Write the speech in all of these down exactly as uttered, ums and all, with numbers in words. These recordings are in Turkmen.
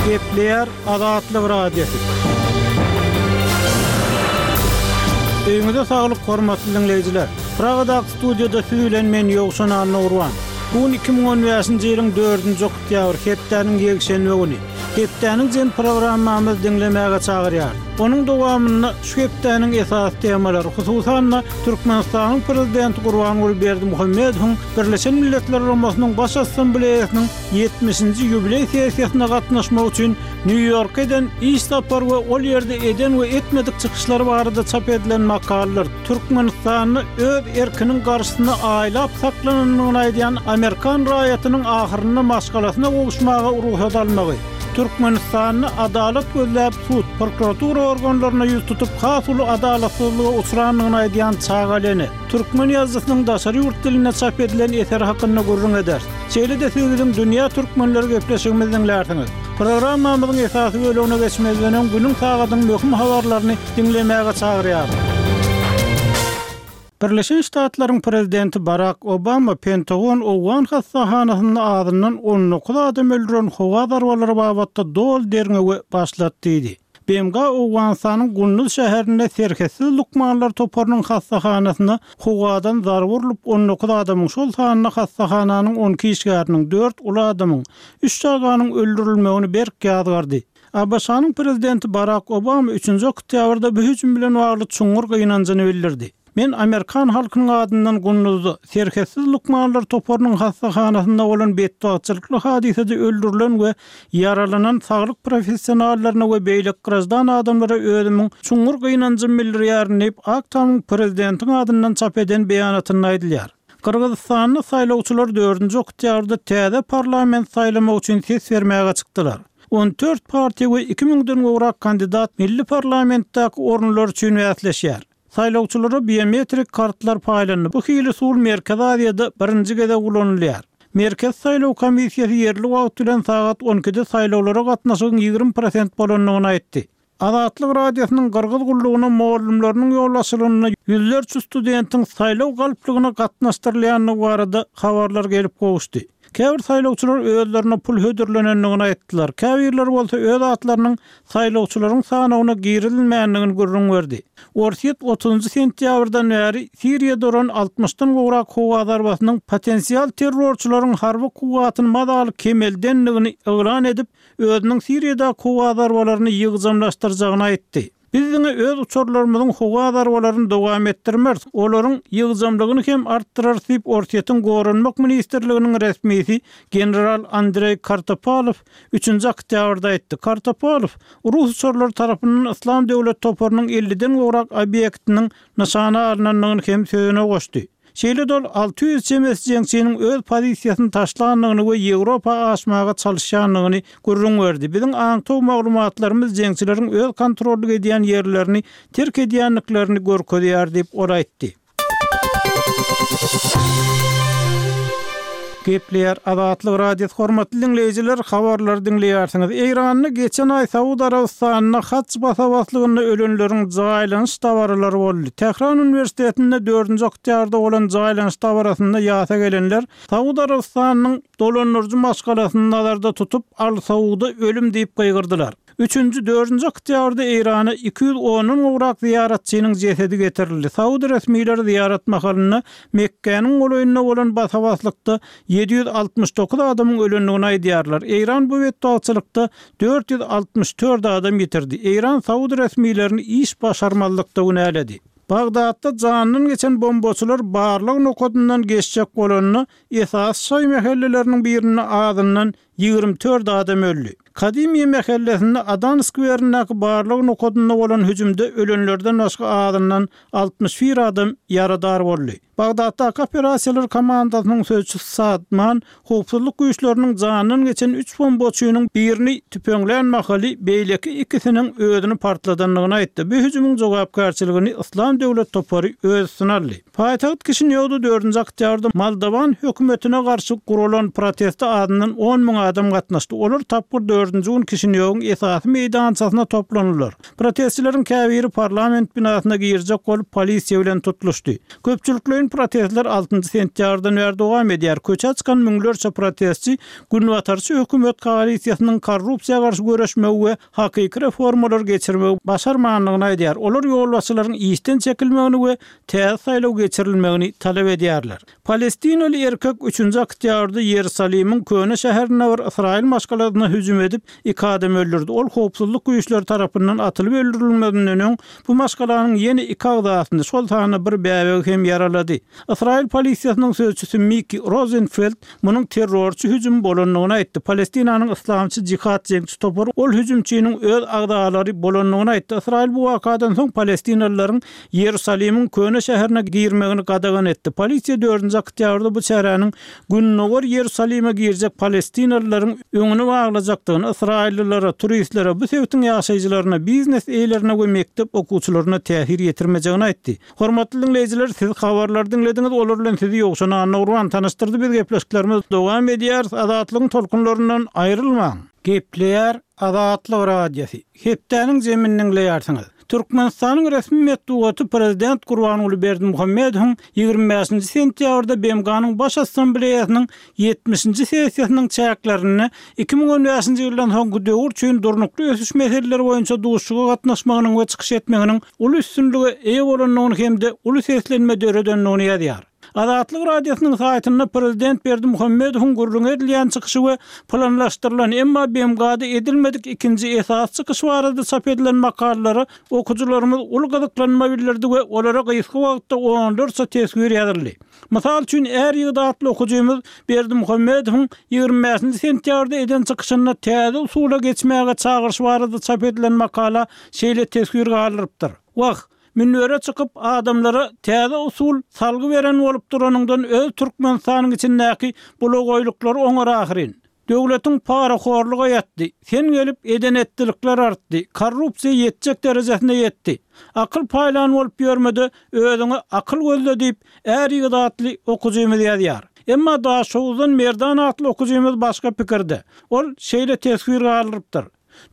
Gepleýär Azatlyk Radiosy. Öýüňize saglyk hormatly diňleýjiler. Pragadaky studiýada siz bilen men Ýowşan Annagurban. Bu gün iki müň on bäşinji ýylyň dördünji oktýabr, hepdäniň ýekşenbe güni. Hepdäniň jem programmamyzy diňlemäge çagyrýar. Onuň dowamynda şu hepdäniň esasy temalary, hususan-da Türkmenistanyň Prezidenti Gurbanguly Berdimuhamedowyň Birleşen Milletler Guramasynyň Baş Assambleýasynyň ýetmişinji ýubileý sessiýasyna gatnaşmak üçin Nýu-Ýorka eden iş sapary we ol ýerde eden we etmedik çykyşlary barada çap edilen makalalar, Türkmenistanda öz erkiniň garşysyna aýlap saklanandygyny aýdýan amerikan raýatynyň ahyrynda maşgalasyna gowuşmaga rugsat almagy, Türkmenistanda adalat gözläp sud, prokuratura organlaryna ýüz tutup has uly adalatsyzlyga uçrandygyny aýdýan çagaly ene, türkmen ýazyjysynyň daşary ýurt dilinde çap edilen eseri hakynda gürrüň ederis. Şeýle-de siz biziň Dünýä türkmenleri gepleşigimizi diňlärsiňiz. Programmamyzyň esasy bölegine geçmezden öň günüň sagadyň möhüm habarlaryny diňlemäge çagyrýarys. Birleşen Ştatlaryň prezidenti Barak Obama Pentagon Owgan hassahanasynda azyndan on dokuz adam öldüren howa zarbalary babatda doly derňewe başlat diýdi. B M G Owganystanyň Gunduz şäherinde serhetsiz lukmanlar toparynyň hassahanasyna howadan zarba urlup on dokuz adamyň, şol sanda hassahananyň on iki işgäriniň, dört uly adamyň, üç çaganyň öldürilmegini berk ýazgardy. A B Ş-nyň prezidenti Barak Obama üçünji oktýabrda bu hüjüm bilen bagly çuňňur gynanjyny bildirdi. Men Amerikan halkynyň adyndan Gunduzda serhetsiz lukmanlar toparynyň hassahanasynda bolan betbagtçylykly hadysada öldürilen we ýaralanan saglyk professionallaryna we beýleki graždan adamlara özümiň çuňňur gynanjymy bildirýärin diýip, Ak Tamyň prezidentiň adyndan çap eden beýanatynda aýdylýar. Gyrgyzystanda saýlawçylar dördünji oktýabrda täze parlament saýlamak üçin ses bermäge çykdylar. On dört partiýa we iki müňden gowrak kandidat milli parlamentdäki orunlar üçin bäsleşýär. Saýlawçylara biometrik kartlar paýlandy. Bu hili usul Merkezi Aziýada birinji gezek ulanylýar. Merkez saýlaw komissiýasy ýerli wagt bilen sagat on ikide saýlawlara gatnaşygyň ýigrimi prosent bolandygyny aýtdy. Azatlyk Radiosynyň Gyrgyz gullugyna mugallymlarynyň ýolbaşçylygynda ýüzlerçe studentiň saýlaw galplygyna gatnaşdyrylýandygy barada habarlar gelip gowuşdy. Käbir saýlawçylar özlerine pul hödürlenendigini aýtdylar. Käbirleri bolsa öz atlarynyň saýlawçylaryň sanawyna girizilmändigini gürrüň berdi. Orsýet otuzynjy sentýabrdan bäri Siriýada duran altmyşdan gowrak howa zarbasynyň potensial terrorçylaryň harby kuwwatyny mazaly kemeldendigini yglan edip, özüniň Siriýada howa zarbalaryny ýygjamlaşdyrjagyny aýtdy. Biz diňe öz uçarlarymyzyň howa zarbalaryny dowam etdirmeris, olaryň ýygjamlygyny hem artdyrarys diýip Orsýetiň Goranmak ministrliginiň resmisi general Andrey Kartopalow üçünji oktýabrda aýtdy. Kartopalow Rus uçarlary tarapyndan Yslam döwlet toparynyň elliden gowrak obýektiniň nyşana alynandygyny hem sözüne goşdy. Şeýle dol alty ýüz çemesi jeňçiniň öz pozisiýasyny taşlandygyny we Ýewropa aşmaga çalyşýandygyny gürrüň berdi. Biziň aňtaw maglumatlarymyz jeňçileriň öz kontrollyk edýän ýerlerini terk edýändiklerini görkezýär diýip ol aýtdy. Gepleýär Azatlyk Radiosy hormatly diňleýjiler, habarlary diňleýärsiňiz. Eýranda geçen aý Saud Arabystanynda haç basabaslygynda ölenleriň jaýlanyş dabaralary boldy. Tähran Uniwersitetinde dördünji oktýabrda bolan jaýlanyş dabarasynda ýasa gelenler Saud Arabystanynyň dolandyryjy maşgalasyny nazarda tutup Al Sauda ölüm diýip gygyrdylar. Üçünji, dördünji oktýabrda Eýrana iki ýüz ondan gowrak ziýaratçynyň jesedi getirildi. Saud resmileri ziýarat mahalynda Mekgäniň golaýynda bolan basabaslykda ýedi ýüz altmyş dokuz adamyň ölendigini aýdýarlar. Eýran bu betbagtçylykda dört ýüz altmyş dört adam ýitirdi. Eýran Saud resmilerini iş başarmazlykda günäledi. Bagdatda jandan geçen bombaçylar barlyk nokadyndan geçjek bolanda esas şaý mehelleleriniň birinde azyndan ýigrimi dört adam öldü. Kadimiye mehellesinde Adan skwerindäki barlyk nokadynda bolan hüjümde ölenlerden başga azyndan altmyş bir adam ýaradar boldy. Bagdatdaky operasiýalar komandasynyň sözçüsi Sadman howpsuzlyk güýçleriniň jandan geçen üç bombaçynyň birini tüpeňlän mahaly beýleki ikisiniň özüni partladandygyny aýtdy. Bu hüjümiň jogapkärçiligini Yslam döwlet topary öz üstüne aldy. Paýtagt Kişinýowda dördünji oktýabrda Moldowan hökümetine garşy guralan proteste adyndan on müň adam gatnaşdy. Olar tapgyr dördünji gün Kişinýowyň esasy meýdançasyna toplandylar. Protestçileriň käbiri parlament binasyna girjek bolup, polisiýa bilen tutluşdy. Köpçülikleýin protestler altynjy sentýabrdan bäri dowam edýär. Köçä çykan müňlerçe protestçi günbatarçy hökümet koalisiýasynyň korrupsiýa garşy göreşmegi we hakyky reformalary geçirmegi başarmandygyny aýdýar. Olar ýolbaşçylaryň işden çekilmegini we täze saýlaw geçirilmegini talap edýärler. Palestinaly erkek üçünji oktýabrda Ýerusalimiň köne şäherinde bir ysraýyl maşgalasyna hüjüm edip, iki adam öldürdi. Ol howpsuzlyk güýçleri tarapyndan atylyp öldürilmezinden öň, bu maşgalanyň ýene iki agzasyny, şol sanda bir bäbegi hem ýaralady. Ysraýyl polisiýasynyň sözçüsi Miki Rozenfeld munuň terrorçy hüjüm bolandygyny aýtdy. Palestinanyň Yslamçy Jihad jeňçi topary ol hüjümçiniň öz agzalary bolandygyny aýtdy. Ysraýyl bu wakadan soň palestinalylaryň Ýerusalimiň köne şäherine girmegini gadagan etdi. Polisiýa dördünji oktýabrda bu çäräniň Gündogar Ýerusalime girjek palestinalylaryň öňüni baglajakdygyny, ysraýyllylara, turistlere, bu sebitiň ýaşaýjylaryna, biznes eýelerine we mekdep okuwçylaryna täsir ýetirmejegini aýtdy. Hormatly diňleýjiler, siz habarlary diňlediňiz, olar bilen sizi Ýowşan Annagurban tanyşdyrdy. Biz gepleşiklerimizi dowam edýäris. Azatlygyň tolkunlaryndan aýrylmaň! Gepleýär Azatlyk Radiosy. Hepdäniň jemini diňleýärsiňiz. Türkmenistanyň resmi metbugaty prezident Gurbanguly Berdimuhamedowyň ýigrimi bäşinji sentýabrda B M G-nyň Baş Assambleýasynyň ýetmişinji sessiýasynyň çäklerinde iki müň on bäşinji ýyldan soňky döwür üçin durnukly ösüş meseleleri boýunça duşuşyga gatnaşmagynyň we çykyş etmeginiň uly üstünlige eýe bolandygyny hem-de uly seslenme döredendigini ýazýar. Azatlyk Radiosynyň saýtynda prezident Berdimuhamedowyň gürrüňi edilýän çykyşy we planlaşdyrylan, emma B M G-da edilmedik ikinji esasy çykyş barada çap edilen makalalara okyjylarymyz uly gyzyklanma bildirdi we olara gysga wagtda onlarça teswir ýazyldy. Mysal üçin, Är ýigit atly okyjymyz Berdimuhamedowyň ýigrimi bäşinji sentýabrda eden çykyşynda täze usula geçmäge çagyryş barada çap edilen makala şeýle teswir galdyrypdyr. Wah, münbere çykyp adamlara täze usul salgy beren bolup duranyňdan öz Türkmenistanyň içindäki bulagaýlyklary oňar ahyryn. Döwletiň parahorluga ýatdy, sen gelip eden-etdilikler artdy, korrupsiýa ýetjek derejesine ýetdi. Akyl paýlan bolup ýörme-de, özüňe akyl gözle diýip, Är ýigit atly okyjymyz ýazýar. Emma Daşoguzdan Merdan atly okyjymyz başga pikirde. Ol şeýle teswir galdyrypdyr.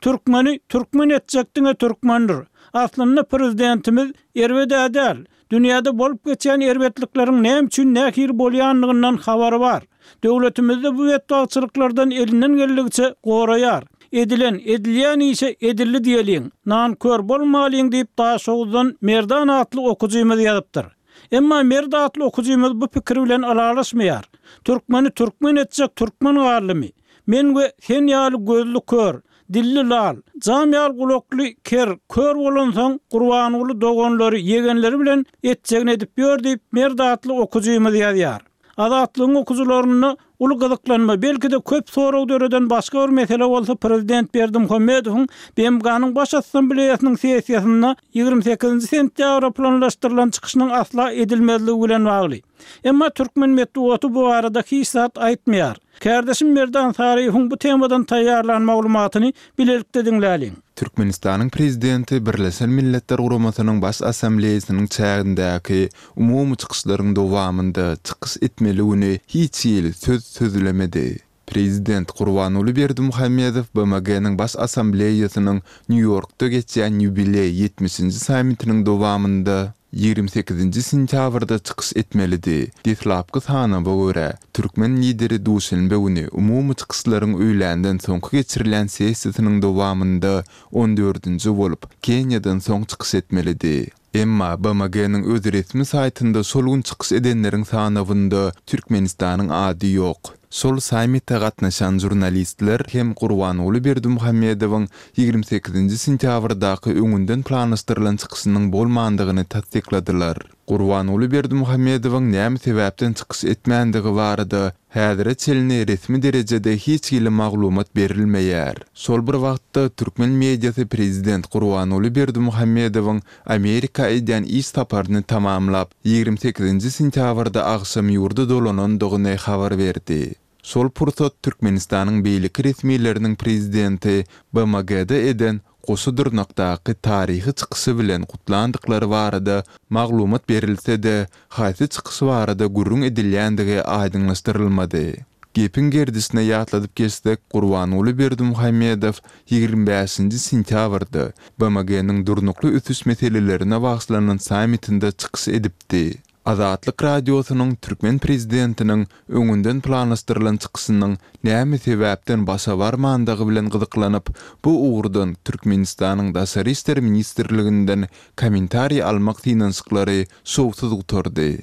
Türkmeni türkmen etjek diňe türkmendir. Aslynda prezidentimiz erbed-ä däl. Dünýäde bolup geçýän erbetlikleriň näme üçin nähili bolýandygyndan habary bar. Döwletimizde bu betbagtçylyklardan elinden geldigiçe goraýar. Edilen, edilýän işe edildi diýeliň, nankör bolmalyň diýip Daşoguzdan Merdan atly okyjymyz ýazypdyr. Emma Merdi atly okyjymyz bu pikir bilen ylalaşmaýar. Türkmeni türkmen etjek türkmen galdymy? Men we sen ýaly gözli kör, dilli lal, jam ýaly gulakly ker, kör bolansoň Gurbanguly doganlary, ýegenleri bilen etjegini edip ýör diýip Merdi atly okyjymyz ýazýar. Azatlygyň okyjylarynda uly gyzyklanma, belki-de köp sorag döreden başga bir mesele bolsa prezident Berdimuhamedowyň B M G-nyň Baş Assambleýasynyň sessiýasynda ýigrimi sekizinji sentýabra planlaşdyrylan çykyşynyň asla edilmezligi bilen bagly. Emma türkmen metbugaty bu barada hiç zat aýtmaýar. Kärdeşim Merdan Saryýewiň bu temadan taýýarlan maglumatyny bilelikde diňläliň. Türkmenistanyň Prezidenti Birleşen Milletler Guramasynyň Baş Assambleýasynyň çägindäki umumy çykyşlaryň dowamynda çykyş etmeli güni hiç hili söz sözlemedi. Prezident Gurbanguly Berdimuhamedow B M G-niň Baş Assambleýasynyň Nýu-Ýorkda geçýän ýubileý ýetmişinji sammitiniň dowamynda ýigrimi sekizinji sentýabrda çykyş etmelidi. Deslapky sanawa görä, türkmen lideri duşenbe güni umumy çykyşlaryň öýländen soňky geçirilen sessiýasynyň dowamynda on dördünji bolup, Keniýadan soň çykyş etmelidi. Emma B M G-niň öz resmi saýtynda şol gün çykyş edenleriň sanawynda Türkmenistanyň ady ýok. Şol sammite gatnaşan žurnalistler hem Gurbanguly Berdimuhamedowyň ýigrimi sekizinji sentýabrdaky öňünden planlaşdyrylan çykyşynyň bolmandygyny tassykladylar. Gurbanguly Berdimuhamedowyň näme sebäpden çykyş etmändigi barada häzire çenli resmi derejede hiç hili maglumat berilmeýär. Şol bir wagtda türkmen mediasy prezident Gurbanguly Berdimuhamedowyň Amerika edýän iş saparyny tamamlap, ýigrimi sekizinji sentýabrda agşam ýurda dolanandygyny habar berdi. Şol pursat Türkmenistanyň beýleki resmileriniň prezidenti B M G-de eden goşa dyrnakdaky taryhy çykyşy bilen gutlandyklary barada maglumat berilse-de, haýsy çykyş barada gürrüň edilýändigi aýdyňlaşdyrylmady. Gepiň gerdişine ýatladyp geçsek, Gurbanguly Berdimuhamedow ýigrimi bäşinji sentýabrda B M G-niň durnukly ösüş meselelerine bagyşlanan sammitinde çykyş edipdi. Azatlyk Radiosynyň türkmen prezidentiniň öňünden planlaşdyrylan çykyşynyň näme sebäpden başa barmandygy bilen gyzyklanyp, bu ugurdan Türkmenistanyň Daşary işler ministrliginden kommentariý almak synanyşyklary şowsuz gutardy.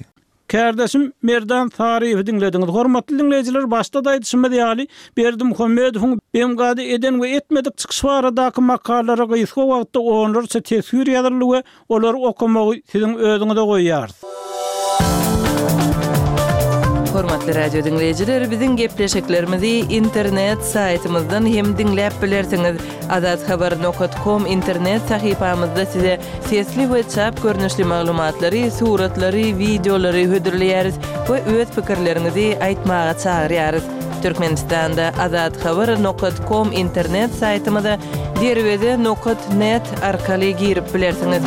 Kärdeşim Merdan Saryýewi diňlediňiz. Hormatly diňleýjiler, başda-da aýdyşymyz ýaly, Berdimuhamedowyň B M G-da eden we etmedik çykyşy baradaky makalalara gysga wagtda onlarça teswir ýazyldy we olary okamagy siziň özüňize goýýarys. Hormatly radio diňleýjiler, biziň gepleşiklerimizi internet saýtymyzdan hem diňläp bilersiňiz. Azathabar nokta com internet sahypamyzda size sesli we çap görnüşli maglumatlary, suratlary, wideolary hödürleýäris we öz pikirleriňizi aýtmaga çagyrýarys. Türkmenistanda azathabar nokta com internet saýtymyza derweze nokta net arkaly girip bilersiňiz.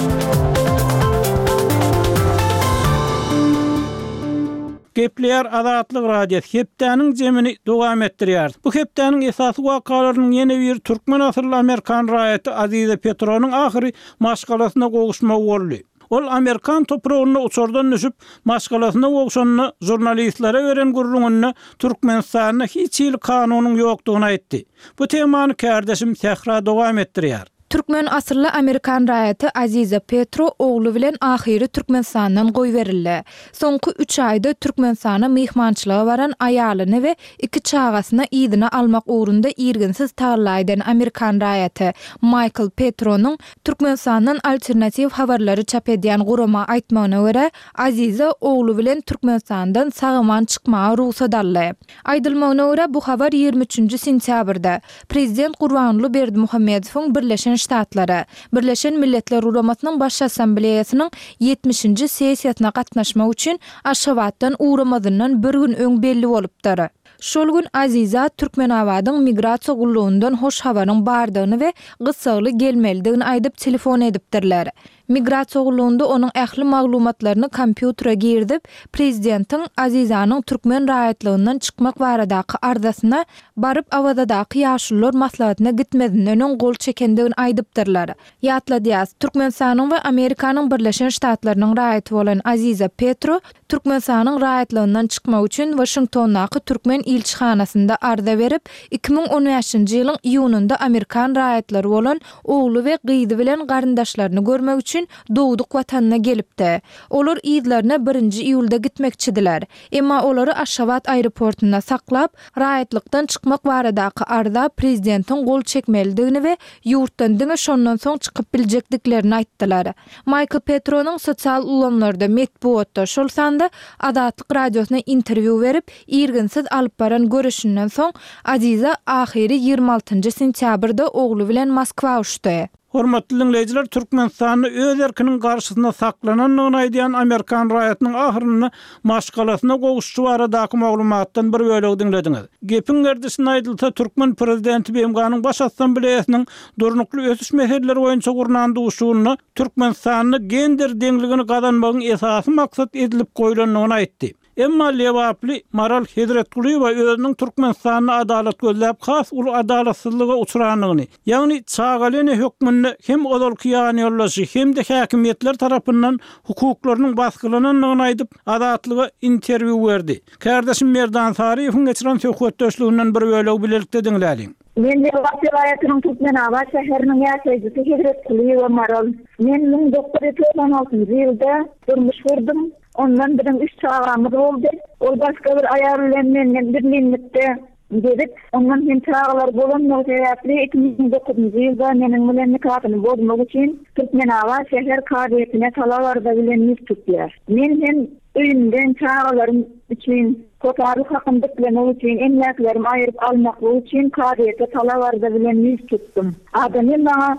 Gepleýär Azatlyk Radiosy hepdäniň jemini dowam etdirýär. Bu hepdäniň esasy wakalarynyň ýene bir türkmen asylly Amerikan raýaty Aziza Petronyň ahyry maşgalasyna gowuşmagy boldy. Ol Amerikan topragynda uçardan düşüp, maşgalasyna gowşanyny žurnalistlere beren gürrüňinde Türkmenistanda hiç hili kanunyň ýokdugyny aýtdy. Bu temany kärdeşim Sähra dowam etdirýär. Türkmen asylly Amerikan raýaty Aziza Petro ogly bilen ahyry Türkmenistandan goýberildi. Soňky üç aýda Türkmenistana myhmançylyga baran aýalyny we iki çagasyny yzyna almak ugrunda irginsiz tagalla eden Amerikan raýaty Michael Petronyň Türkmenistandan alternatiw habarlary çap edýän gurama aýtmagyna görä, Aziza ogly bilen Türkmenistandan sag-aman çykmaga rugsat aldy. Aýdylmagyna görä, bu habar ýigrimi üçünji sentýabrda Prezident Gurbanguly Berdimuhamedowyň Birleşen Ştatlara, Birleşen Milletler Guramasynyň Baş Assambleýasynyň ýetmişinji sessiýasyna gatnaşmak üçin Aşgabatdan ugramazyndan bir gün öň belli bolupdyr. Şol gün Aziza Türkmenabadyň migrasiýa gullugyndan hoş habaryň bardygyny we gyssagly gelmelidigini aýdyp telefon edipdirler. Migrasiýa gullugynda onuň ähli maglumatlaryny kompýutere girizip, prezidentiň Azizanyň türkmen raýatlygyndan çykmak baradaky arzasyna baryp Awazadaky ýaşulular maslahatyna gitmezinden öň gol çekendigini aýdypdyrlar. Ýatladýas, Türkmenistanyň we Amerikanyň Birleşen Ştatlarynyň raýaty bolan Aziza Petro Türkmenistanyň raýatlygyndan çykmak üçin Waşingtondaky türkmen ilçihanasynda arza berip, iki müň on bäşinji ýylyň iýunynda Amerikan raýatlary bolan ogly we gyzy bilen garyndaşlaryny görmek üçin dogduk watanyna gelipdi. Olar yzlaryna birinji iýulda gitmekçidiler. Emma olary Aşgabat aeroportunda saklap, raýatlykdan çykmak baradaky arza prezidentiň gol çekmelidigini we ýurtdan diňe şondan soň çykyp biljekdiklerini aýtdylar. Michael Petronyň sosial ulgamlarda, metbugatda, şol sanda Azatlyk Radiosyna interwýu berip, irginsiz alyp baran görüşünden soň Aziza ahyry ýigrimi altynjy sentýabrda ogly bilen Moskwa uçdy. Hormatly dinleýjiler, Türkmenistanda öz erkiniň garşysynda saklanandygyny aýdýan Amerikan raýatynyň ahyrynda maşgalasyna gowuşy baradaky maglumatdan bir bölegi diňlediňiz. Gepiň gerdişinde aýdylsa, türkmen prezidenti B M G-nyň Baş Assambleýasynyň durnukly ösüş meseleleri boýunça gurnan duşuşygynda Türkmenistanda gender deňligini gazanmagyň esasy maksat edilip goýlandygyny aýtdy. Emma Lebaply Maral Hezretgulyýewa özüniň Türkmenistanda adalat gözläp has uly adalatsyzlyga uçrandygyny, ýagny çagaly ene hökmünde hem ozalky ýanýoldaşy hem-de häkimiýetler tarapyndan hukuklarynyň basgylanandygyny aýdyp, Azatlyga interwýu berdi. Kärdeşim Merdan Saryýewiň geçiren söhbetdeşliginden bir bölegi bilelikde diňläliň. Men Lebap welaýatynyň Türkmenabat şäheriniň ýaşaýjysy Hezretgulyýewa Maral. Men müň dokuz ýüz togsan altynjy ýylda durmuş gurdum. Ondan biziň üç çagamyz boldy. Ol başga bir aýal bilen menden bir minlikde gezip, ondan hem çagalar bolandygy sebäpli iki müň dokuzynjy ýylda meniň bilen nikahyny bozmak üçin Türkmenabat şäher kazyýetine talap arza bilen ýüz tutýar. Men hem öýümden çagalarym üçin hossarlyk hakyny diklemek üçin, emläklerimi aýyryp almaklyk üçin kazyýete talap arza bilen ýüz tutdum. Adamym maňa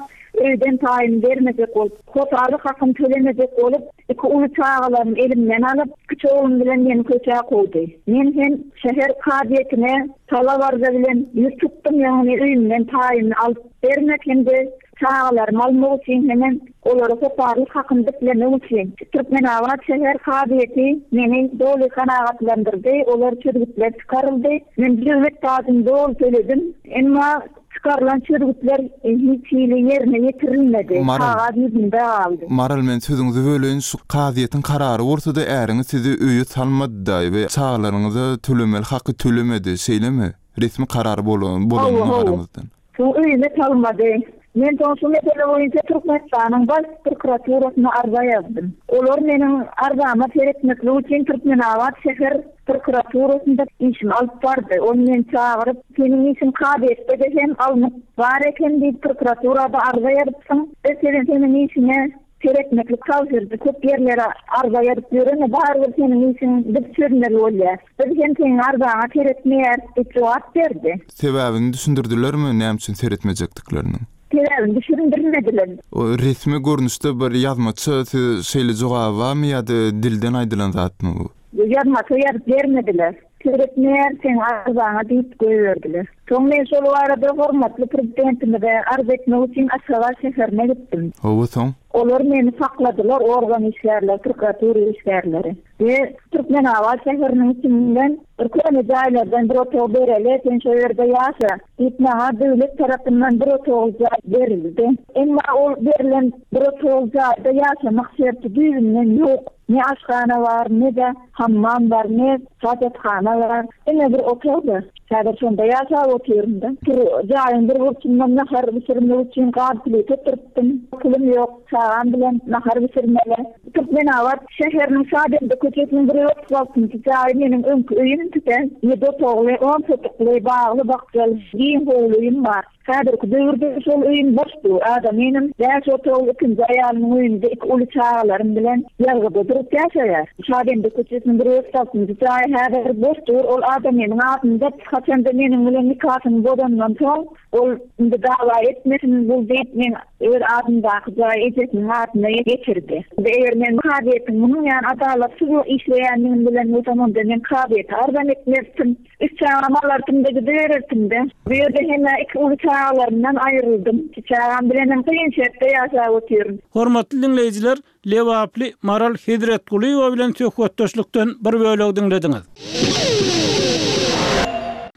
öýden taýyn bermejek bolup, hossarlyk hakyny tölemejek bolup, iki uly çagalarymy elimden alyp, kiçi oglum bilen meni köçä kowdy. Men hem şäher kazyýetine talap arza bilen ýüz tutdum, ýagny öýümden taýyny alyp bermek hem-de çagalarymy almak üçin hemen Olara hoparlyk hakyny diklemek üçin Türkmenabat şäher kazyýeti meni doly kanagatlandyrdy. Olar çözgütler çykaryldy. Men döwlet pajyny doly töledim. Emma çykarylan çözgütler hiç hili ýerine ýetirilmedi. Kagyz ýüzünde galdy. Maral men sözüňizi böleýin şu kazyýetiň karary bolsa-da äriňiz sizi öýe salmady we çagalaryňyza tölemeli haky tölemedi, şeýlemi? Resmi karar bolan bolanyna garamazdan. Soň öýüme salmady. Men soň şu mesele boýunça Türkmenistanyň Baş prokuraturasyna arza ýazdym. Olar meniň arzama seretmeklik üçin Türkmenabat şäher prokuraturasynda işimi alyp bardy. Ol meni çagyryp, seniň işiň kazyýetde hem alnyp bar eken diýip prokuraturada arza ýazypsyň. Biz seniň seniň işiňe seretmeklik tabşyrdy. Köp ýerlere arza ýazyp ýörene barybir seniň işiň biz çözmeli bolýar. Biz hem seniň arzaňa seretmeýäris diýip jogap berdi. Sebäbini düşündirdilermi näme üçin seretmejekdiklerini? Sebäbini düşündirmediler. O resmi görnüşde bir ýazmaça siz şeýle jogaby barmy ýa-da dilden aýdylan zatmy bu? Ýazmaça ýazyp bermediler. Seretmeýär seň arzaňa diýip goýberdiler. Soň men şol barada hormatly prezidentimize arz etmek üçin Aşgabat şäherine gitdim. Hawa soň? Olar meni sakladylar, organ işgärleri, prokuratura işgärleri. We Türkmenabat şäheriniň içinden bir köne jaýlardan bir otag bereli, sen şo ýerde ýaşa diýip maňa döwlet tarapyndan bir otag jaý berildi. Emma ol berilen bir otag jaýda ýaşamak şerti düýbünden ýok. Ne aşhana bar, ne de hammam bar, ne hajathana bar. Diňe bir otagda. Häzir şonda ýaşap otyryn-da. Jaýyň bir burçundan nahar bişirmek üçin gaz plita oturtdym. Pulum ýok, çagam bilen nahar bişirmeli. Türkmenabat şäheriniň Şabende köçesiniň bir otuz altynjy jaýy meniň öňki öýüm tüten. Ýedi otagly, on sotykly, bagly bakjaly, giň howly öýüm bar. Häzirki döwürde şol öýüm boş dur. Adamynym bäş otagly ikinji aýalymyň öýünde iki uly çagalarym bilen ýazgyda durup ýaşaýar. Şabende köçesiniň bir otuz altynjy jaýy häzir boş dur. Ol adamynyň adynda haçanda meniň bilen nikasyny bozandan soň ol indi dawa etmesin bul diýip men öz adyndaky jaýy ejesiniň adyna geçirdi. Eger men kazyýetiň munuň ýaly adalatsyz işleýändigini bilen bolsam, onda men kazyýete arzam etmezdim. Üç çagam alardym-da gidibererdim-de. Bu ýerde hem iki uly çagalarymdan aýryldym. Iki çagam bilen hem kyn şertde ýaşap otyryn. Hormatly diňleýjiler, Lebaply Maral Hezretgulyýewa bilen söhbetdeşlikden bir bölek diňlediňiz.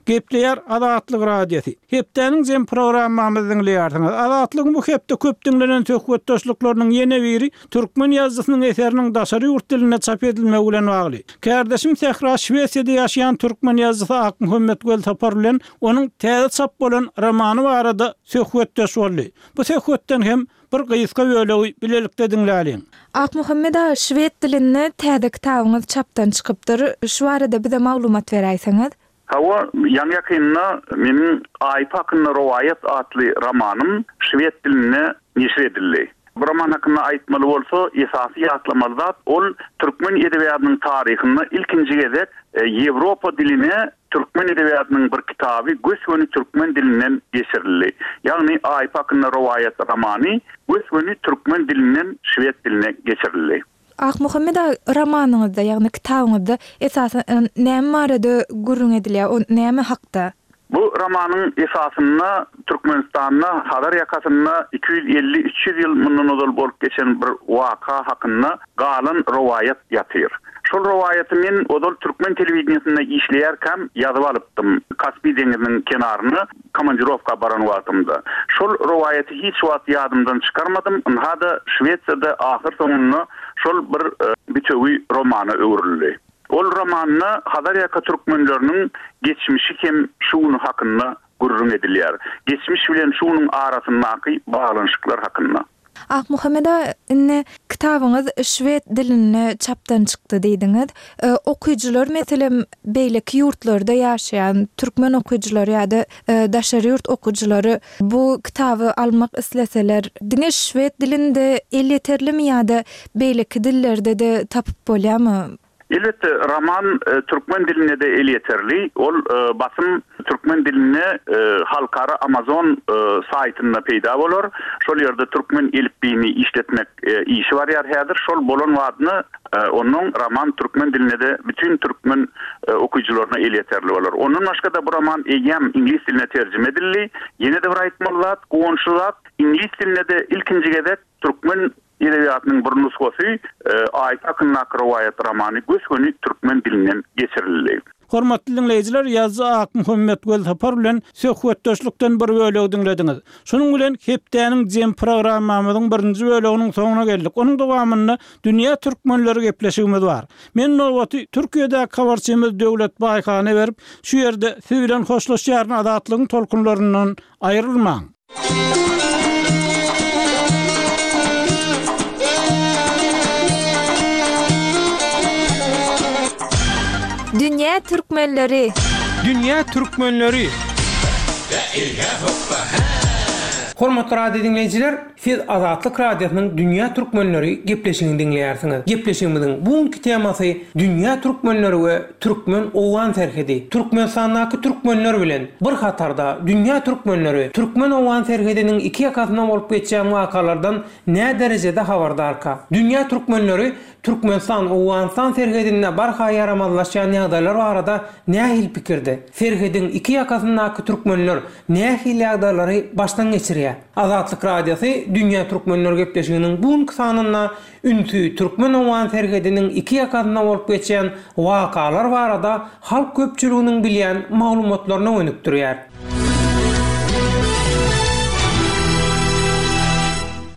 Gepleýär Azatlyk Radiosy. Hepdäniň jem programmamyzy diňleýärsiňiz. Azatlygyň bu hepde köp diňlenen söhbetdeşlikleriniň ýene biri türkmen ýazyjysynyň eseriniň daşary ýurt dilinde çap edilmegi bilen bagly. Kardeşim Sähra Şwesiýada ýaşaýan türkmen ýazyjysy Akmuhammet Welsapar bilen onuň täze çap bolan romany barada söhbetdeş boldy. Bu söhbetden hem bir gysga bölegi bilelikde diňläliň. Akmuhammet aga, şwed dilinde täze kitabyňyz çapdan çykypdyr. Şu barada bize maglumat beräýseňiz. Hawa, ýaňy ýakynda meniň Aýp hakynda rowaýat atly romanym şwed dilinde neşir edildi. Bu roman hakynda aýtmaly bolsa, esasy ýatlamaly zat ol türkmen edebiýatynyň taryhynda ilkinji gezek Ýewropa diline türkmen edebiýatynyň bir kitaby gös-göni türkmen dilinden geçirildi. Ýagny Aýp hakynda rowaýat romany gös-göni türkmen dilinden şwed diline geçirildi. Akmuhammet aga, romanyňyzda, ýagny kitabyňyzda esasan näme barada gürrüň edilýär, o näme hakda? Bu romanyň esasynda Türkmenistanda Hazar ýakasynda iki ýüz elli üç ýüz ýyl mundan ozal bolup geçen bir waka hakynda galan rowaýat ýatyr. Şol rowaýaty men ozal türkmen telewideniýesinde işleýärkäm ýazyp alypdym. Kaspi deňiziniň kenaryna komandirovka baran wagtymda. Şol rowaýaty hiç wagt ýadymdan çykarmadym. Ynha-da Şwesiýada ahyr soňunda şol bir bütewi romana öwrüldi. Ol romanda Hazar ýaka türkmenleriniň geçmişi hem şu günü hakynda gürrüň edilýär. Geçmiş bilen şu günüň arasyndaky baglanyşyklar hakynda. Akmuhammet aga, indi kitabyňyz şwed dilinde çapdan çykdy diýdiňiz. Okyjylar meselem beýleki ýurtlarda ýaşaýan türkmen okyjylary ýa-da daşary ýurt okyjylary bu kitaby almak isleseler, diňe şwed dilinde elýeterlimi ýa-da beýleki dillerde de tapyp bolýarmy? Elbetde roman türkmen dilinde de elýeterli. Ol basym türkmen dilinde halkara Amazon saýtynda peýda bolar. Şol ýerde türkmen elipbiýini işletmek işi barýar häzir. Şol bolan wagtynda onuň roman türkmen dilinde de bütün türkmen okyjylaryna elýeterli bolar. Ondan başga da bu roman eýýäm iňlis diline terjime edildi. Ýene de bir aýtmaly zat, guwançly zat, iňlis dilinde de ilkinji gezek Türkmen edebiýatynyň bir nusgasy Aýt hakyndaky rowaýat romany gös-göni türkmen dilinden geçirildi. Hormatly diňleýjiler, ýazyjy Akmuhammet Welsapar bilen söhbetdeşlikden bir bölegi diňlediňiz. Şunuň bilen hepdäniň jem programmamyzyň birinji böleginiň soňuna geldik. Onuň dowamynda dünýä türkmenleri gepleşigimiz bar. Men nowaty Türkiýedäki habarçymyz Döwlet Baýhana berip, şu ýerde siz bilen hoşlaşýaryn, azatlygyň tolkunlaryndan aýrylmaň. Dünýä türkmenleri. Dünýä türkmenleri. Hormatly radio diňleýjiler, siz Azatlyk Radiosynyň Dünýä türkmenleri gepleşigini diňleýärsiňiz. Gepleşigimiziň bu günki temasy Dünýä türkmenleri we türkmen-owgan serhedi. Türkmenistandaky türkmenler bilen bir hatarda dünýä türkmenleri türkmen-owgan serhediniň iki ýakasynda bolup geçýän wakalardan nä derejede habardarka? Dünýä türkmenleri Türkmenistan-Owganystan serhedinde barha ýaramazlaşýan ýagdaýlar barada nähili pikirde? Serhediň iki ýakasyndaky türkmenler nähili ýagdaýlary başdan geçirýär? Azatlyk Radiosy Dünýä türkmenleri gepleşiginiň bu günki sanynda ünsi türkmen-owgan serhediniň iki ýakasynda bolup geçýän wakalar barada halk köpçüliginiň bilýän maglumatlaryna gönükdirýär.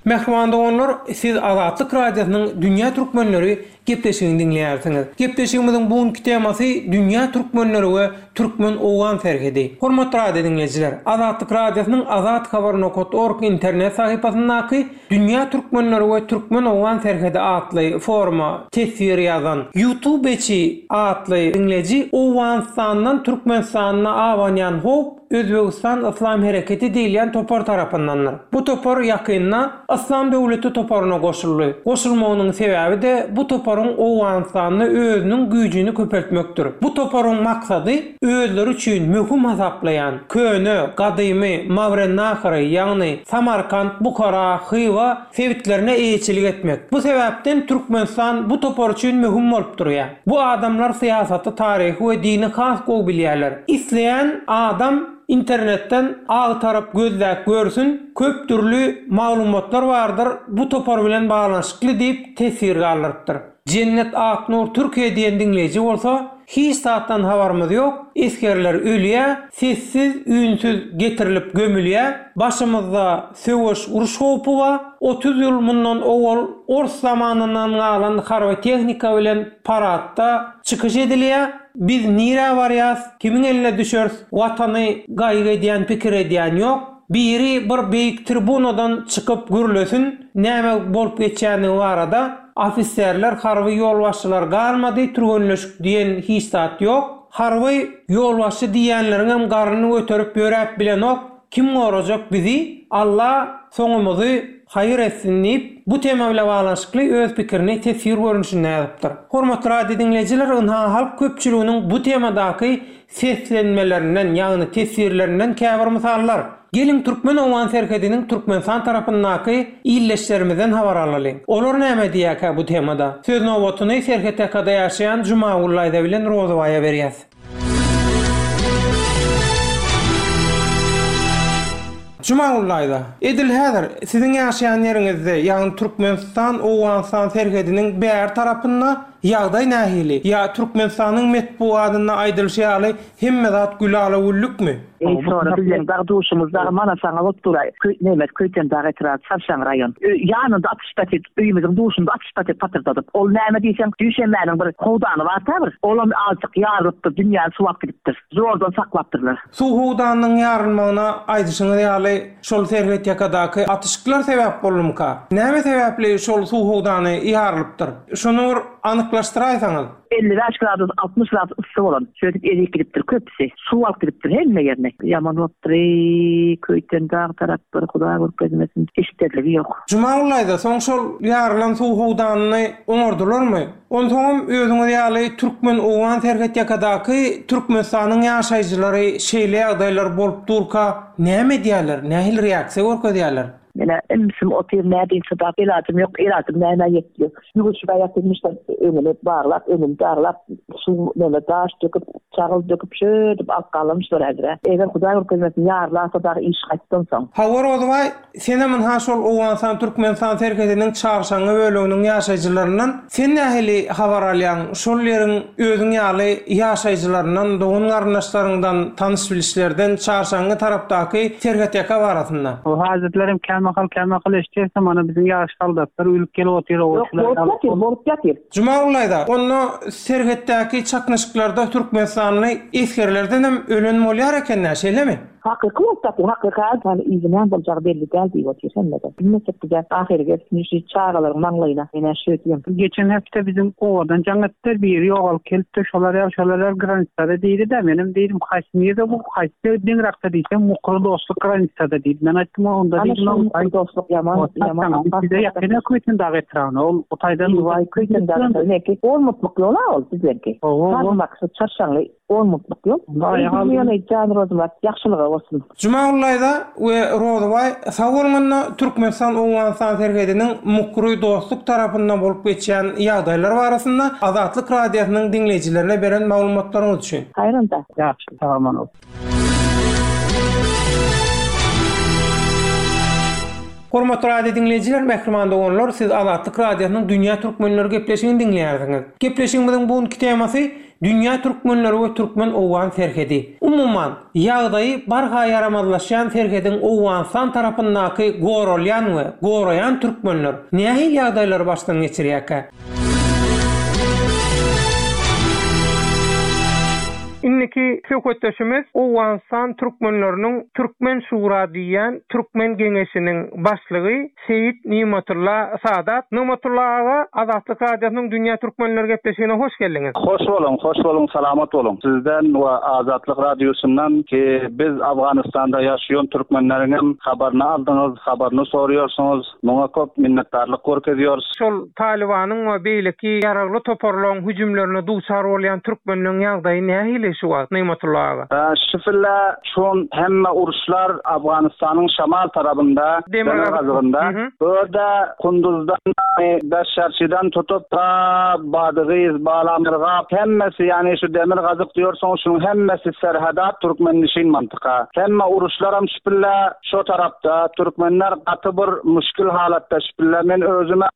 Mähriban doganlar, siz Azatlyk Radiosynyň Dünýä türkmenleri gepleşigini diňleýärsiňiz. Gepleşigimiziň bu günki temasy Dünýä türkmenleri we türkmen-owgan serhedi. Hormatly radio diňleýjiler, Azatlyk Radiosynyň azathabar nokat org internet sahypasyndaky Dünýä türkmenleri we türkmen-owgan serhedi atly foruma teswir ýazan YouTubeçi atly diňleýji Owganystandan Türkmenistana abanýan howp Özbegistan Yslam Hereketi diýilýän topar tarapyndandyr. Bu topar ýakynda Yslam döwleti toparyna goşuldy. Goşulmagynyň sebäbi-de bu toparyň Owganystanda özüniň güýjüni köpeltmekdir. Bu toparyň maksady özleri üçin möhüm hasaplaýan köne, gadymy Mawrennahyry, ýagny Samarkant, Buhara, Hywa sebitlerine eýeçilik etmek. Bu sebäpden Türkmenistan bu topar üçin möhüm bolup durýar. Bu adamlar syýasaty, taryhy we dini has gowy bilýärler. Isleýän adam internetden agtaryp gözläp görsün, köp dürli maglumatlar bardyr bu topar bilen baglanyşykly diýip teswir galdyrypdyr. Jennet Aknur Türkiýe diýen diňleýji bolsa, hiç zatdan habarymyz ýok, esgerler ölýär, sessiz, üýnsüz getirilip gömülýär, başymyzda söweş uruş howpy bar, otuz ýyl mundan owal ors zamanyndan galan harby tehnika bilen paradda çykyş edilýär, biz nirä barýas, kimiň eline düşeris, watany gaýgy edýän, pikir edýän ýok, biri bir beýik tribunadan çykyp gürlesin, näme bolup geçýändigi barada, ofiserler, harby ýolbaşçylar galmady, türgenleşik diýen hiç zat ýok, harby ýolbaşçy diýýänleriň hem garnyny göterip ýöräp bilenok, kim gorajak bizi, Alla soňumyzy haýyr etsin diýip, bu tema bilen baglanyşykly öz pikirini teswir görnüşinde ýazypdyr. Hormatly radio diňleýjiler, ynha halk köpçüliginiň bu temadaky seslenmelerinden, ýagny teswirlerinden käbir mysallar. Geliň türkmen-owgan serhediniň Türkmenistan tarapyndaky illeşlerimizden habar alalyň. Olar näme diýýärkä bu temada? Söz nobatyny serhet ýakada ýaşaýan Jumagül daýza bilen Rozybaýa berýäs. Jumagül daýza, edil häzir siziň ýaşaýan ýeriňizde, ýagny Türkmenistan-Owganystan serhediniň bäri tarapynda ýagdaý nähili? Ýa Türkmenistanyň metbugatynda aýdylyşy ýaly hemme zat gülala-güllükmi? Eý, sonra bizleň dag duşumyz dagy mana saňa bolup dur-aý. Köý, nemes, Köýtendag etrap, Çarşaň raýon. Ö, ýanynda atyş paket, öýümiziň duşunda atyş paket patyrdadyp. Ol näme diýseň, duşenbäniň bir howdany bar-da bir. Olam azjyk ýarylypdyr, dünýäni suwap gidipdir. Zordan saklapdyrlar. Suw howdanynyň ýarylmagyna aýdyşyňyz ýaly şol serhet ýakadaky atyşyklar sebäp boldumyka? Näme sebäpli şol suw howdany ýarylypdyr? Şony bir anyklaşdyraýsaňyz. Elli bäş gradus, altmyş gradus yssy bolan. Şöýdüp erip gidipdir köpüsi. Suw alyp gidipdir hemme ýerine. Ýaman bolupdyr, eý, Köýtendag taraplar Hudaý görkezmesin, eşderligi ýok. Jumagül daýza, soň şol ýarylan suw howdanyny oňardylarmy? Onsoňam özüňiz ýaly türkmen-owgan serhet ýakadaky Türkmenistanyň ýaşaýjylary şeýle ýagdaýlar bolup durka näme edýärler, nähili reaksiýa görkezýärler? Menä ümsüm otyr nädeýin çydap, elajym ýok, elajym nämä ýetýär. Ýuwuşyp ýatyrmyşlar, öňüni baglap, öňüni daglap, suw neme daş döküp, çagyl döküp şöýdip alyp galamyşlar häzir. Eger Hudaý görkezmesin ýarlasa dagy iş gaýtdan soň. Hawa Rozybaý, senem ynha şol Owganystan-Türkmenistan serhediniň Çarşaňňy böleginiň ýaşaýjylaryndan. Sen nähili habar alýaň şol ýeriň özüň ýaly ýaşaýjylaryndan, dogan-garyndaşlaryňdan, tanyş-bilişlerden Çarşaňňy tarapdaky serhetýaka barasynda? O hazretlerim kämahal kämahal eşitýäs, mana biziň ýaş soldatlar ölüp gelip otyr, Ýok, bolup ýatyr, bolup ýatyr. Jumagullaýda, onda serhetdäki çaknyşyklarda türkmenistanly esgerlerdenem ölen bolýar eken-dä, şeýlemi? Hakyky bolup ýatyr, hakyky hal yzy näme boljagy belli däl diýip otyr hemme-de. Bilmesek bize ahyry gelsin şu çagalaryň maňlaýyna. Menä şu diýem. Geçen hepde biziň obadan jaň etdiler, biri ýogalyp gelipdir, şolar ýaly, şolar ýaly granisada diýdi-de, menem diýdim, haýsy nirde bu, haýsy deňrakda diýsem, Mukry dostluk granisada diýdi. Men aýtdym, onda Ana diýdim, şu Mukry dostluk ýaman, ýaman Bize ýakyn Köýtendag etrabyna, ol o taýdan Waý, Köýtendag etrabyna, on mutlyk ýol-a ol bizlerki. Hawa, Şu Çarşaňly on mutlyk ýol. Ýöne jan Rozymyrat, ýagşylyga bolsun. Jumagullaýda we Rozybaý sag bolňanda Türkmenistan-Owganystan serhediniň Mukry dostluk tarapynda bolup geçýän ýagdaýlar barasynda Azatlyk Radiosynyň diňleýjilerine beren maglumatlaryňyz üçin. Haýranda. Ýagşy, sag bolun. Hormatly radio diňleýjiler, mähriban doganlar, siz Azatlyk Radiosynyň Dünýä Türkmenleri gepleşigini diňleýärsiňiz. Gepleşigimiziň bu günki temasy Dünýä Türkmenleri we Türkmen-Owgan serhedi. Umuman, ýagdaýy barha ýaramazlaşýan serhediň Owganystan tarapyndaky goralýan we goraýan türkmenler nähili ýagdaýlary başdan geçirýärkä? Indiki söhbetdeşimiz Owganystan türkmenleriniň Türkmen Şura diýýän Türkmen Geňeşiniň başlygy Seýit Nigmatulla Sadat. Nigmatulla aga, Azatlyk Radiosynyň Dünýä Türkmenleri gepleşigine hoş geldiňiz. Hoş boluň, hoş boluň, salamat boluň. Sizden we Azatlyk Radiosyndan ki biz Afganistanda ýaşaýan türkmenleriň habaryny aldyňyz, habaryny soruyorsunuz. Muňa köp minnetdarlyk görkeziyoruz. Şol Talibanyň we beýleki ýaragly toparlaryň hüjümlerine duçar bolýan türkmenleriň ýagdaýy nähili şu wagt Nigmatulla aga? Şifilla şun hemme uruşlar Afganistanyň şamal tarapynda, demirgazygynda. Orada Kunduzdan, Beşşarçydan tutup ta Badygyz, Balamyrgap hemmesi yani şu demirgazyk diyorsun şunun hemmesi serhadat Türkmenişin mantıka. Hemme uruşlaram şifilla şu tarapta Türkmenler gaty bir müşkil halatda şifilla. Men özüme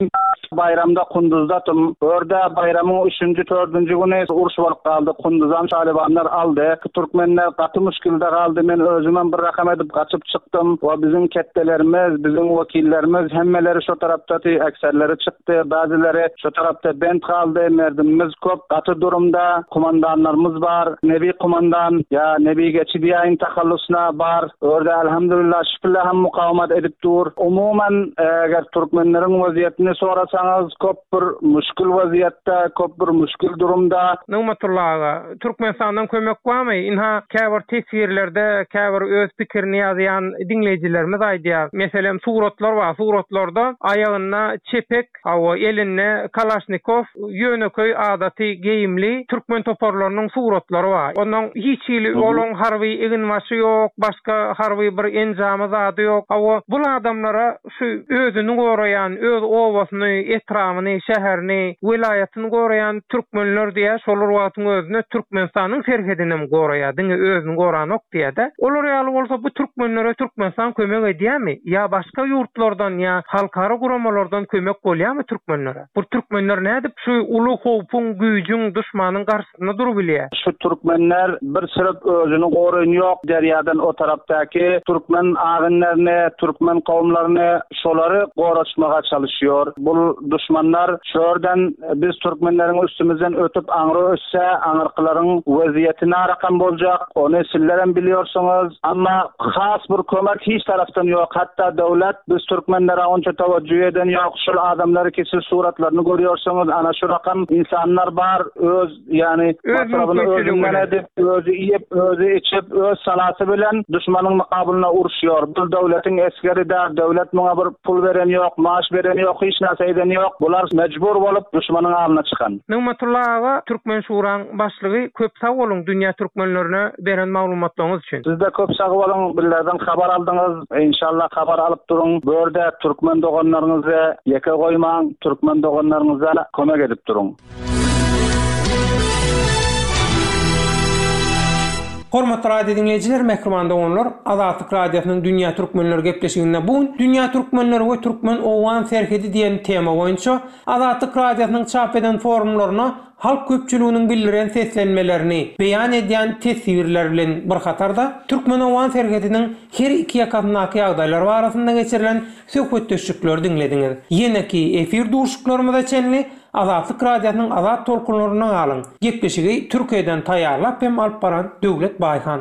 bayramda Kunduzdatım. Orada bayramın üçüncü, dördüncü günü uruş bolup kaldı. Kunduzam Talibanlar aldı. Türkmenler gaty müşkilde kaldı. Men özüme bir rakam edip kaçıp çıktım. Ve bizim kettelerimiz, bizim vekillerimiz hemmeleri şu tarapta ekserleri çıktı. Bazıları şu tarapta bent kaldı. Merdimimiz köp. Gaty durumda kumandanlarımız var. Nebi kumandan ya Nebi geçi diýen tahallusuna bar. Orada elhamdülillah şükürler hem mukavemet edip dur. Umumen eger Türkmenlerin vaziyetini sorasanız köp bir müşkül vaziyette, köp bir müşkül durumda. Nigmatulla aga, Türkmenistandan kömek barmy? Inha käbir teswirlerde, käbir öz pikirini ýazýan diňleýjilerimiz aýdýar. Meselem, suratlar bar. Suratlarda aýagynda çepek, hawa elinde Kalaşnikow, ýöneköý adaty geýimli türkmen toparlarynyň suratlary bar. Ondan hiç hili olaň harby eginbaşy ýok, başga harby bir enjamy zady ýok. Hawa bu adamlara şu özüni goraýan, öz obasyny, etrabını, şäherini, welaýatyny goraýan türkmenler diýä, şolar wagtyň özünde Türkmenistanyň serhedini hem goraýar, diňe özüni goranok diýä-de. Olar ýaly bolsa bu türkmenlere Türkmenistan kömek edýärmi? Ýa başga ýurtlardan ýa halkara guramalardan kömek bolýarmy türkmenlere? Bu türkmenler nädip şu uly howpuň, güýjüň, duşmanyň garşysynda durup bilýär? Şu türkmenler bir sürüp özüni goraýan ýok derýadan o tarapdaky türkmen agynlaryny, türkmen kowumlaryny şolary goraçmaga çalışıyor. Bu düşmanlar şörden biz türkmenlerin üstümüzden ötüp aňry ötse, aňyrkylaryň weziyetine rakam boljak, ony sizlerem biliyorsunuz. Ama has bir kömek hiç taraftan yok. Hatta devlet biz türkmenlere onça teveccüh eden yok. Şul adamları ki siz suratlarını görüyorsunuz. Ana şu rakam insanlar var. Öz yani Öz masrafını mümkünçülüğü özünden bilen. edip, özü yiyip, özü içip, öz salatı bilen düşmanın mukabılına uruşuyor. Bu devletin eskeri de, devlet buna bir pul veren yok, maaş veren yok, hiç narsa eden yok. Bular mecbur olup düşmanın alına çıkan. Nigmatulla aga, Türkmen Şuraň başlygy köp sag boluň. boluň dünýä türkmenlerine beren maglumatlaryňyz üçin. Siz-de köp sag boluň, bizlerden habar aldyňyz. Inşallah habar alyp duruň. Bu ýerde türkmen doganlaryňyzy ýeke goýmaň, türkmen doganlaryňyza kömek edip duruň. Hormatly radio diňleýjiler, mähriban doganlar, Azatlyk Radiosynyň Dünýä Türkmenleri gepleşiginde bu gün Dünýä Türkmenleri we Türkmen-Owgan serhedi diýen tema boýunça Azatlyk Radiosynyň çap eden forumlaryna halk köpçüliginiň bildiren seslenmelerini beýan edýän teswirler bilen bir hatarda Türkmen-Owgan serhediniň her iki ýakasyndaky ýagdaýlar barasynda geçirilen söhbetdeşlikleri diňlediňiz. Ýeneki efir duşuşyklarymyza çenli Azatlyk Radiosynyň azat tolkunlarynda galyň. Gepleşigi Türkiýeden taýýarlap hem alyp baran Döwlet Baýhan.